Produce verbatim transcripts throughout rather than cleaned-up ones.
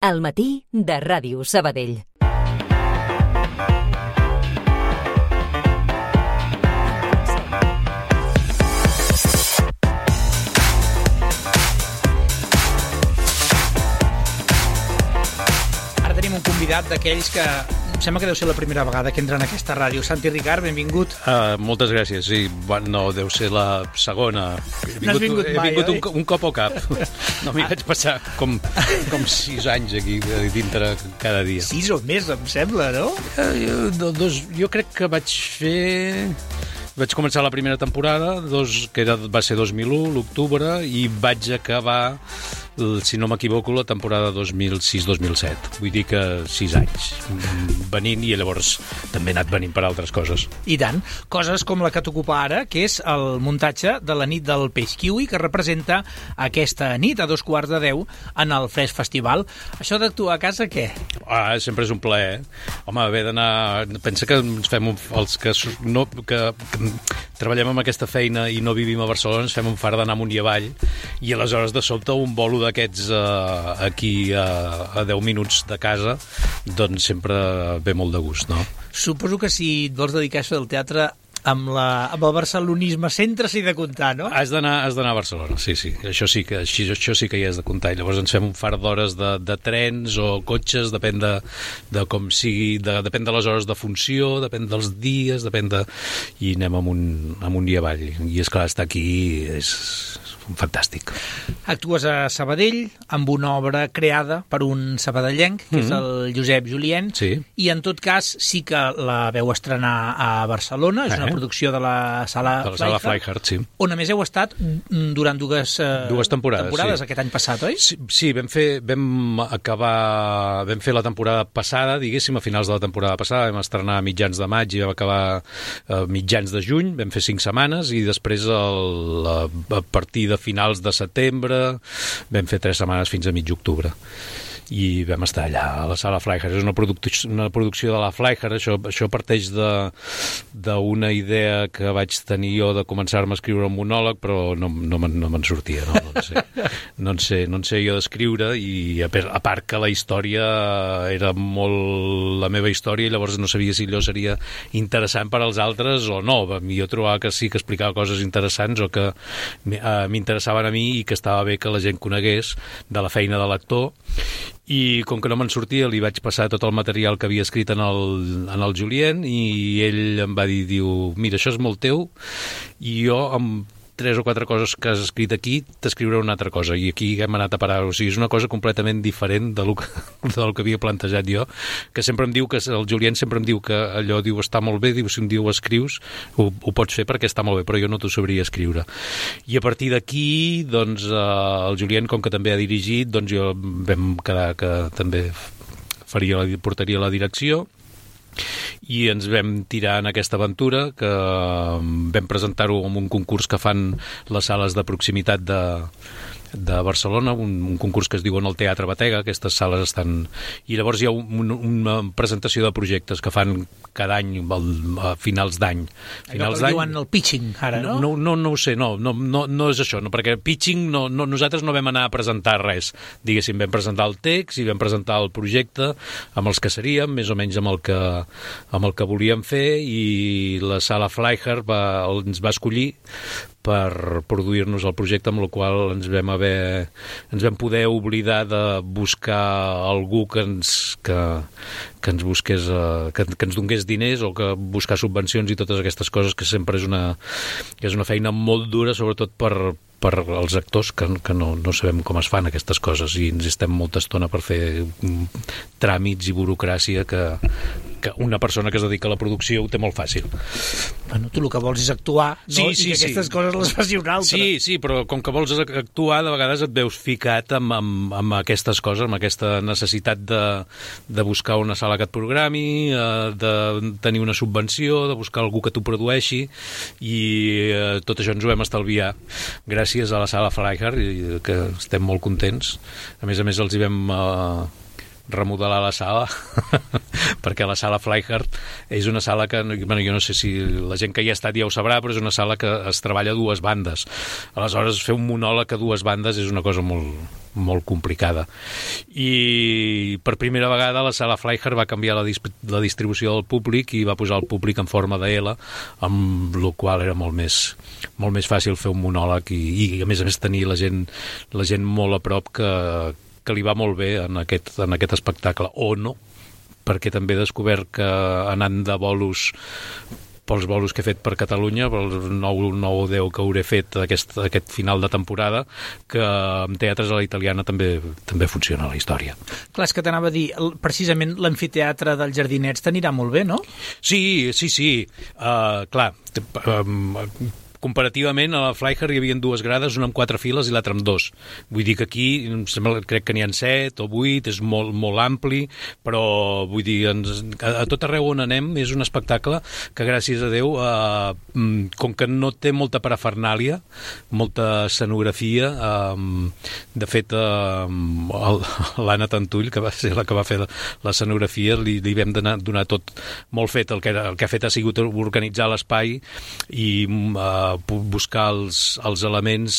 Al matí de Ràdio Sabadell. Ara tenim un convidat d'aquells que em sembla que deu ser la primera vegada que entra en aquesta ràdio. Santi Ricard, benvingut. Uh, moltes gràcies, sí. No, deu ser la segona. He vingut, no has vingut he mai, vingut oi? un, un cop o cap. No m'hi vaig passar com, com sis anys aquí dintre cada dia. Sis o més, em sembla, no? Uh, jo, dos, jo crec que vaig fer... Vaig començar la primera temporada, dos, que era, va ser dos mil u, l'octubre, i vaig acabar, si no m'equivoco, la temporada dos mil sis dos mil set. Vull dir que sis anys venint, i llavors també he anat venint per altres coses. I tant. Coses com la que t'ocupa ara, que és el muntatge de la nit del peix kiwi, que representa aquesta nit a dos quarts de deu en el Fresc Festival. Això d'actuar a casa, què? Ah, sempre és un plaer. Home, haver d'anar... Pensa que ens fem un... els que, no, que, que treballem amb aquesta feina i no vivim a Barcelona, ens fem un far d'anar amunt i avall, i aleshores de sobte un bolo d'aquests uh, aquí uh, a deu minuts de casa, doncs sempre ve molt de gust, no? Suposo que si et vols dedicar a això del teatre amb, la, amb el barcelonisme sempre s'hi de comptar, no? Has d'anar has d'anar a Barcelona, sí, sí. Això sí que, això, això sí que hi has de comptar. I llavors ens fem un far d'hores de, de trens o cotxes, depèn de, de com sigui, de, depèn de les hores de funció, depèn dels dies, depèn de... I anem amunt, amunt i avall. I és clar, estar aquí és fantàstic. Actues a Sabadell amb una obra creada per un sabadellenc, que mm-hmm. és el Josep Julien, sí. I en tot cas sí que la veu estrenar a Barcelona, és eh? una producció de la Sala de la Sala Flyhard, sí. On a més heu estat durant dues, uh, dues temporades, temporades sí. Aquest any passat, oi? Sí, sí, vam fer, vam acabar, vam fer la temporada passada, diguéssim, a finals de la temporada passada, vam estrenar a mitjans de maig i vam acabar a mitjans de juny, vam fer cinc setmanes i després el, a partir de finals de setembre vam fer tres setmanes fins a mig octubre i vam estar allà a la Sala Flyhard. És una, produc una producció de la Flyhard. Això, això parteix d'una idea que vaig tenir jo de començar-me a escriure un monòleg, però no, no me'n no sortia. No, no, en sé. No, en sé, no en sé jo d'escriure, i a, a part que la història era molt la meva història, i llavors no sabia si allò seria interessant per als altres o no. Jo trobava que sí que explicava coses interessants o que m'interessaven a mi i que estava bé que la gent conegués de la feina de l'actor. I com que no me'n sortia, li vaig passar tot el material que havia escrit en el, en el Julien, i ell em va dir, diu, mira, això és molt teu, i jo amb tres o quatre coses que has escrit aquí t'escriuré una altra cosa, i aquí hem anat a parar. O sigui, és una cosa completament diferent de lo que, del que havia plantejat jo, que sempre em diu que el Julien sempre em diu que allò, diu, està molt bé, diu, si un dia ho escrius ho, ho pots fer perquè està molt bé, però jo no t'ho sabria escriure. I a partir d'aquí, doncs, eh, el Julien, com que també ha dirigit, doncs jo vam quedar que també faria, portaria la direcció, i ens vam tirar en aquesta aventura, que vam presentar-ho en un concurs que fan les sales de proximitat de, de Barcelona, un, un concurs que es diu en el Teatre Batega. Aquestes sales estan... I llavors hi ha un, una presentació de projectes que fan cada any, a finals d'any. Allò que diuen el pitching, ara, no? No, no, no ho sé, no, no, no, no és això, no, perquè pitching, no, no, nosaltres no vam anar a presentar res. Diguéssim, vam presentar el text i vam presentar el projecte amb els que seríem, més o menys amb el que, amb el que volíem fer, i la Sala Flyhard va, ens va escollir per produir-nos el projecte, amb el qual ens vam haver, ens vam poder oblidar de buscar algú que ens, que, que ens busqués, que, que ens donés diners, o que buscar subvencions i totes aquestes coses, que sempre és una, és una feina molt dura, sobretot per, per als actors, que, que no, no sabem com es fan aquestes coses, i ens estem molta estona per fer tràmits i burocràcia que, que una persona que es dedica a la producció ho té molt fàcil. Bueno, tu el que vols és actuar, no? Sí, sí, I que aquestes sí. coses les faci un altre. Sí, sí, però com que vols actuar, de vegades et veus ficat amb, amb, amb aquestes coses, amb aquesta necessitat de, de buscar una sala que et programi, de tenir una subvenció, de buscar algú que t'ho produeixi, i tot això ens ho vam estalviar gràcies a la Sala Flyhard, que estem molt contents. A més a més, els hi vam... remodelar la sala perquè la sala Flyhard és una sala que, bueno, jo no sé si la gent que hi ha estat ja ho sabrà, però és una sala que es treballa a dues bandes. Aleshores, fer un monòleg a dues bandes és una cosa molt, molt complicada. I per primera vegada la sala Flyhard va canviar la, dis la distribució del públic i va posar el públic en forma de L, amb la qual era molt més, molt més fàcil fer un monòleg i, i a més a més tenir la gent, la gent molt a prop que, que li va molt bé en aquest, en aquest espectacle, o no, perquè també he descobert que anant de bolos pels bolos que he fet per Catalunya, pels nou o deu que hauré fet aquest, aquest final de temporada, que amb teatres a la italiana també també funciona la història. Clar, és que t'anava a dir, precisament l'amfiteatre dels Jardinets t'anirà molt bé, no? Sí, sí, sí. Uh, clar, um, comparativament a la Flyhard hi havia dues grades, una amb quatre files i l'altra amb dos. Vull dir que aquí sembla, crec que n'hi ha set o vuit, és molt, molt ampli, però vull dir, ens, a, a tot arreu on anem és un espectacle que gràcies a Déu, eh, com que no té molta parafernàlia, molta escenografia, eh, de fet eh, l'Anna Tantull, que va ser la que va fer l'escenografia, li, li vam donar, donar tot molt fet. El que, el que ha fet ha sigut organitzar l'espai i eh, buscar els, els elements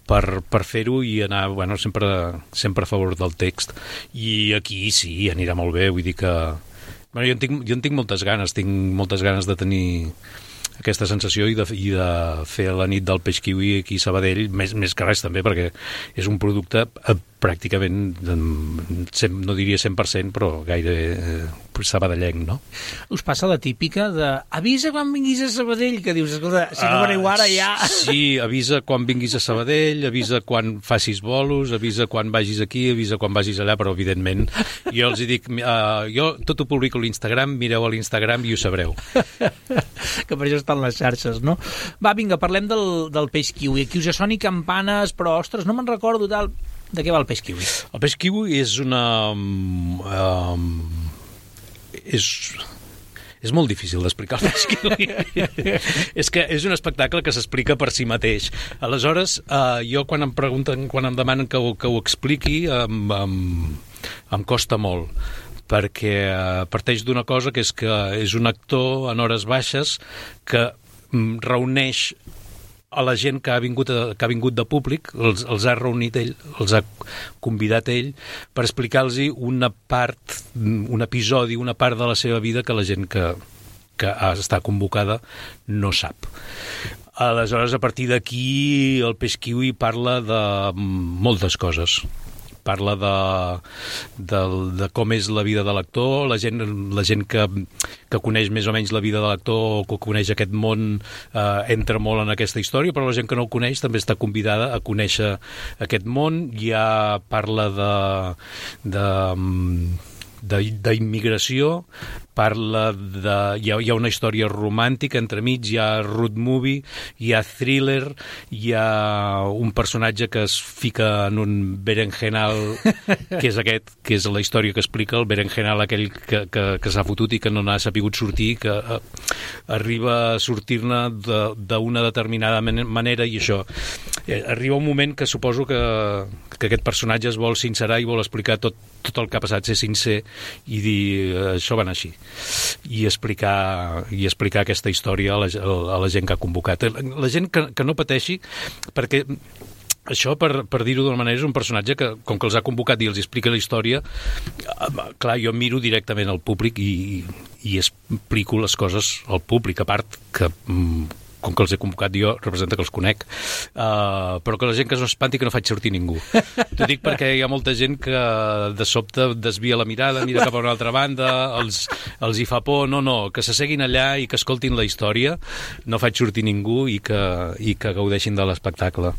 per, per fer-ho i anar, bueno, sempre, sempre a favor del text. I aquí sí, anirà molt bé, vull dir que... Bueno, jo en tinc, jo en tinc moltes ganes, tinc moltes ganes de tenir aquesta sensació i de, i de fer la nit del peix kiwi aquí a Sabadell, més, més que res també, perquè és un producte eh, pràcticament, no diria cent per cent, però gaire eh, sabadellenc, no? Us passa la típica de avisa quan vinguis a Sabadell, que dius, escolta, si no veniu ara ja... Uh, sí, avisa quan vinguis a Sabadell, avisa quan facis bolos, avisa quan vagis aquí, avisa quan vagis allà, però evidentment jo els dic, uh, jo tot ho publico a l'Instagram, mireu a l'Instagram i ho sabreu. Que per això estan les xarxes, no? Va, vinga, parlem del, del peix kiwi. Aquí us soni campanes, però, ostres, no me'n recordo tal... De què va el peix kiwi? El peix kiwi és una... Um, és... És molt difícil d'explicar el peix kiwi. És que és un espectacle que s'explica per si mateix. Aleshores, uh, jo quan em pregunten, quan em demanen que ho, que ho expliqui, em, em, em costa molt, perquè uh, parteix d'una cosa que és que és un actor en hores baixes que um, reuneix a la gent que ha vingut, a, que ha vingut de públic, els, els ha reunit ell, els ha convidat ell per explicar-los una part, un episodi, una part de la seva vida que la gent que, que està convocada no sap. Aleshores, a partir d'aquí, el peix kiwi parla de moltes coses. Parla de, de, de com és la vida de l'actor, la gent, la gent que, que coneix més o menys la vida de l'actor o que coneix aquest món eh, entra molt en aquesta història, però la gent que no el coneix també està convidada a conèixer aquest món. Ja parla de... de d'immigració, parla de... Hi ha, hi ha una història romàntica entremig, hi ha road movie, hi ha thriller, hi ha un personatge que es fica en un berenjenal, que és aquest, que és la història que explica, el berenjenal aquell que, que, que s'ha fotut i que no n'ha sapigut sortir, que eh, arriba a sortir-ne d'una determinada manera, i això. Eh, arriba un moment que suposo que, que aquest personatge es vol sincerar i vol explicar tot, tot el que ha passat, ser sincer i dir, això va anar així, i explicar, i explicar aquesta història a la, a la gent que ha convocat. La gent que, que no pateixi, perquè això, per, per dir-ho d'una manera, és un personatge que, com que els ha convocat i els explica la història, clar, jo miro directament al públic i, i explico les coses al públic, a part que... com que els he convocat jo, representa que els conec, uh, però que la gent que no espanti que no faig sortir ningú. T'ho dic perquè hi ha molta gent que de sobte desvia la mirada, mira cap a una altra banda, els, els hi fa por. No, no, que s'asseguin allà i que escoltin la història, no faig sortir ningú i que, i que gaudeixin de l'espectacle.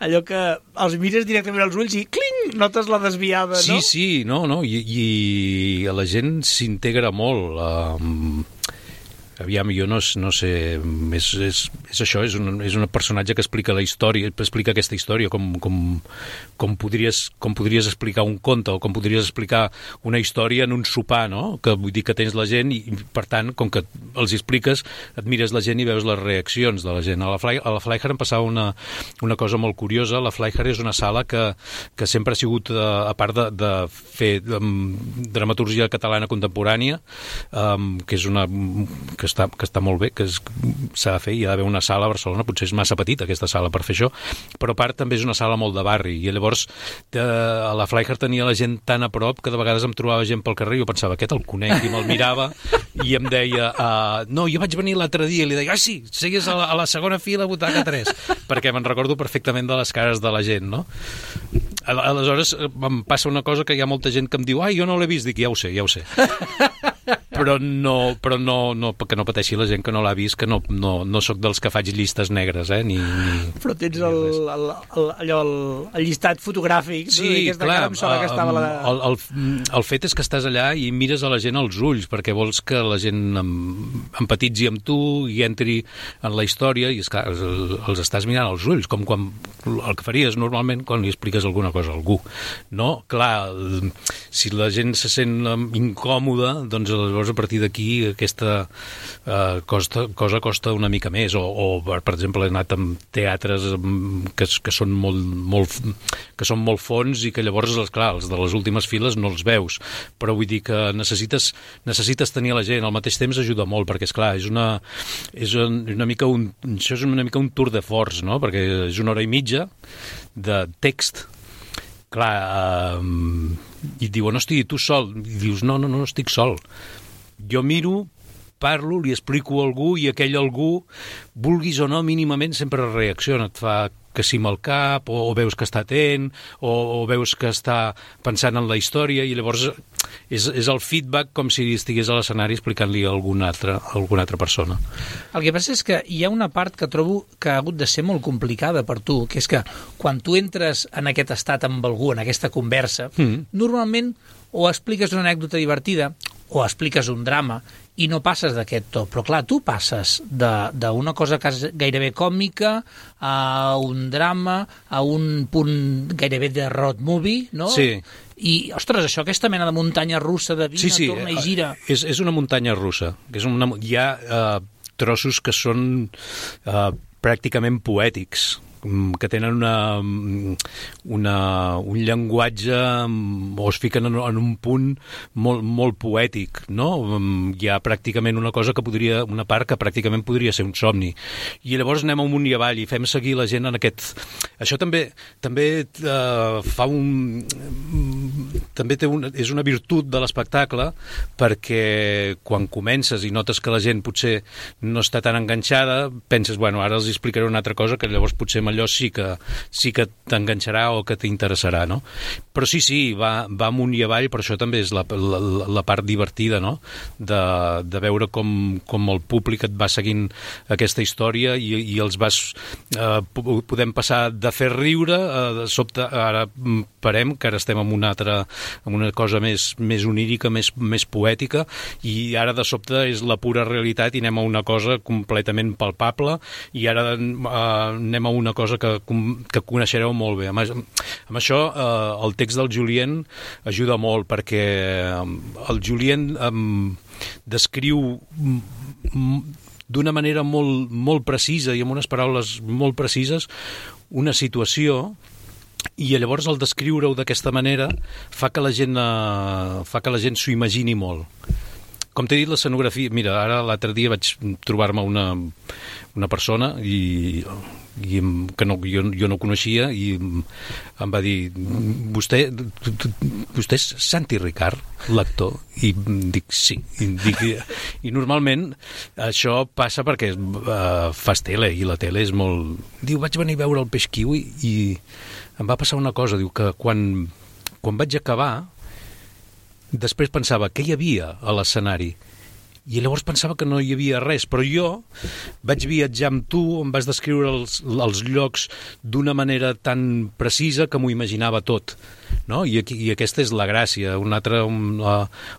Allò que els mires directament als ulls i cling, notes la desviada, sí, no? Sí, sí, no, no, i, i la gent s'integra molt. Uh, aviam, jo no, no sé, és, és, és això, és un, és un personatge que explica la història, explica aquesta història, com, com, com, podries, com podries explicar un conte, o com podries explicar una història en un sopar, no? Que vull dir que tens la gent i, per tant, com que els expliques, et mires la gent i veus les reaccions de la gent. A la, Fly, a la Flyhard em passava una, una cosa molt curiosa. La Flyhard és una sala que, que sempre ha sigut, a part de, de fer um, dramaturgia catalana contemporània, um, que és una que està, que està molt bé, que s'ha de fer, hi ha d'haver una sala a Barcelona, potser és massa petita aquesta sala per fer això, però a part també és una sala molt de barri, i llavors de, a la Flyhard tenia la gent tan a prop que de vegades em trobava gent pel carrer i jo pensava, aquest el conec, i me'l mirava i em deia, uh, no, jo vaig venir l'altre dia, i li deia, ah sí, seguis a la, a la segona fila, butaca tres, perquè me'n recordo perfectament de les cares de la gent, no? Aleshores em passa una cosa que hi ha molta gent que em diu, ai, jo no l'he vist, dic, ja ho sé, ja ho sé. Però no, però no, no, que no pateixi la gent que no l'ha vist, que no, no, no sóc dels que faig llistes negres, eh? Ni, ni, però tens el, el, el, allò, el, el llistat fotogràfic, sí, no? Clar, cara, em sona que estava la... el, el, el fet és que estàs allà i mires a la gent als ulls, perquè vols que la gent empatitzi amb tu i entri en la història, i esclar, els estàs mirant als ulls, com quan el que faries normalment quan li expliques alguna cosa a algú. No? Clar, si la gent se sent incòmoda, doncs llavors a partir d'aquí aquesta uh, costa, cosa costa una mica més, o, o per exemple he anat amb teatres que, que són molt, molt que són molt fons i que llavors, clar, els de les últimes files no els veus, però vull dir que necessites, necessites tenir la gent, al mateix temps ajuda molt, perquè esclar, és una, és una mica un, això és una mica un tour de force, no? Perquè és una hora i mitja de text, clar, uh, i et diuen, no estigui tu sol, i dius, no, no, no estic sol. Jo miro, parlo, li explico a algú i aquell algú, vulguis o no, mínimament sempre reacciona, et fa que sí amb el cap, o, o veus que està atent, o, o veus que està pensant en la història, i llavors és, és el feedback com si estigués a l'escenari explicant-li a alguna altra, a alguna altra persona. El que passa és que hi ha una part que trobo que ha hagut de ser molt complicada per tu, que és que quan tu entres en aquest estat amb algú, en aquesta conversa, mm. normalment o expliques una anècdota divertida o expliques un drama i no passes d'aquest to. Però clar, tu passes d'una cosa que és gairebé còmica a un drama, a un punt gairebé de road movie, no? Sí. I, ostres, això, aquesta mena de muntanya russa de vine, sí, sí, torna i gira... És, és una muntanya russa. És una, hi ha uh, trossos que són uh, pràcticament poètics, que tenen una, una, un llenguatge o es fiquen en, en un punt molt, molt poètic, no? Hi ha pràcticament una cosa que podria, una part que pràcticament podria ser un somni. I llavors anem amunt i avall i fem seguir la gent en aquest... Això també també uh, fa un... també té un, és una virtut de l'espectacle, perquè quan comences i notes que la gent potser no està tan enganxada, penses, bueno, ara els explicaré una altra cosa que llavors potser allò sí que, sí que t'enganxarà o que t'interessarà, no? Però sí, sí, va, va amunt i avall, per això també és la, la, la part divertida, no? De, de veure com, com el públic et va seguint aquesta història i, i els vas... Eh, podem passar de fer riure, eh, de sobte ara parem, que ara estem en una altra, en una cosa més, més onírica, més, més poètica, i ara de sobte és la pura realitat i anem a una cosa completament palpable, i ara eh, anem a una cosa que, que coneixereu molt bé. Amb, amb això, eh, el text del Julien ajuda molt, perquè el Julien eh, descriu d'una manera molt, molt precisa i amb unes paraules molt precises una situació, i llavors el descriure-ho d'aquesta manera fa que la gent, eh, fa que la gent s'ho imagini molt. Com t'he dit, l'escenografia... Mira, ara l'altre dia vaig trobar-me una, una persona i, i que no, jo, jo no coneixia, i em va dir, vostè, vostè és Santi Ricard, l'actor? I dic, sí. I, dic, i normalment això passa perquè uh, fas tele, i la tele és molt... Diu, vaig venir a veure el Peix Kiwi i em va passar una cosa, diu, que quan, quan vaig acabar... Després pensava, què hi havia a l'escenari? i llavors pensava que no hi havia res, però jo vaig viatjar amb tu, em vas descriure els, els llocs d'una manera tan precisa que m'ho imaginava tot, no? I, aquí, i aquesta és la gràcia. Una altra, una,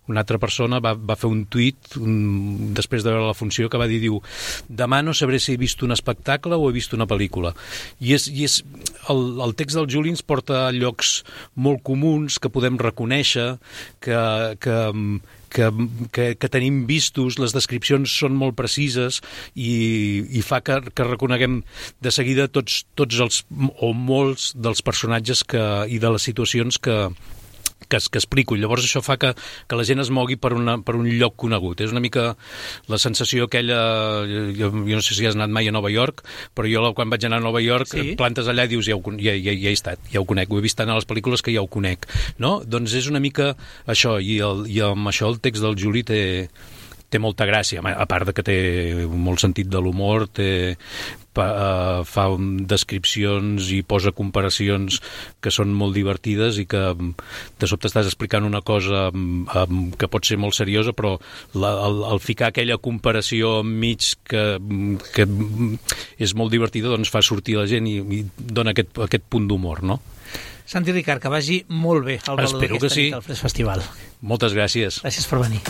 una altra persona va, va fer un tuit un, després de veure la funció que va dir, diu, demà no sabré si he vist un espectacle o he vist una pel·lícula. I, és, i és, el, el text del Juli ens porta a llocs molt comuns que podem reconèixer, que, que, que, que, que tenim vistos, les descripcions són molt precises i, i fa que, que reconeguem de seguida tots, tots els, o molts dels personatges que, i de les situacions que, que, que explico. I llavors això fa que, que la gent es mogui per, una, per un lloc conegut. És una mica la sensació aquella... Jo, jo no sé si has anat mai a Nova York, però jo quan vaig anar a Nova York sí. plantes allà i dius, ja, ho, ja, ja, ja he estat, ja ho conec, ho he vist tant a les pel·lícules que ja ho conec, no? Doncs és una mica això, i, el, i amb això el text del Juli té, té molta gràcia, a part de que té molt sentit de l'humor, té, pa, uh, fa descripcions i posa comparacions que són molt divertides i que de sobte estàs explicant una cosa um, que pot ser molt seriosa, però la, el, el ficar aquella comparació enmig que, que és molt divertida, doncs fa sortir la gent i, i dona aquest, aquest punt d'humor, no? Santi Ricart, que vagi molt bé el valor d'aquesta sí. nit al Fresc Festival. Moltes gràcies. Gràcies per venir.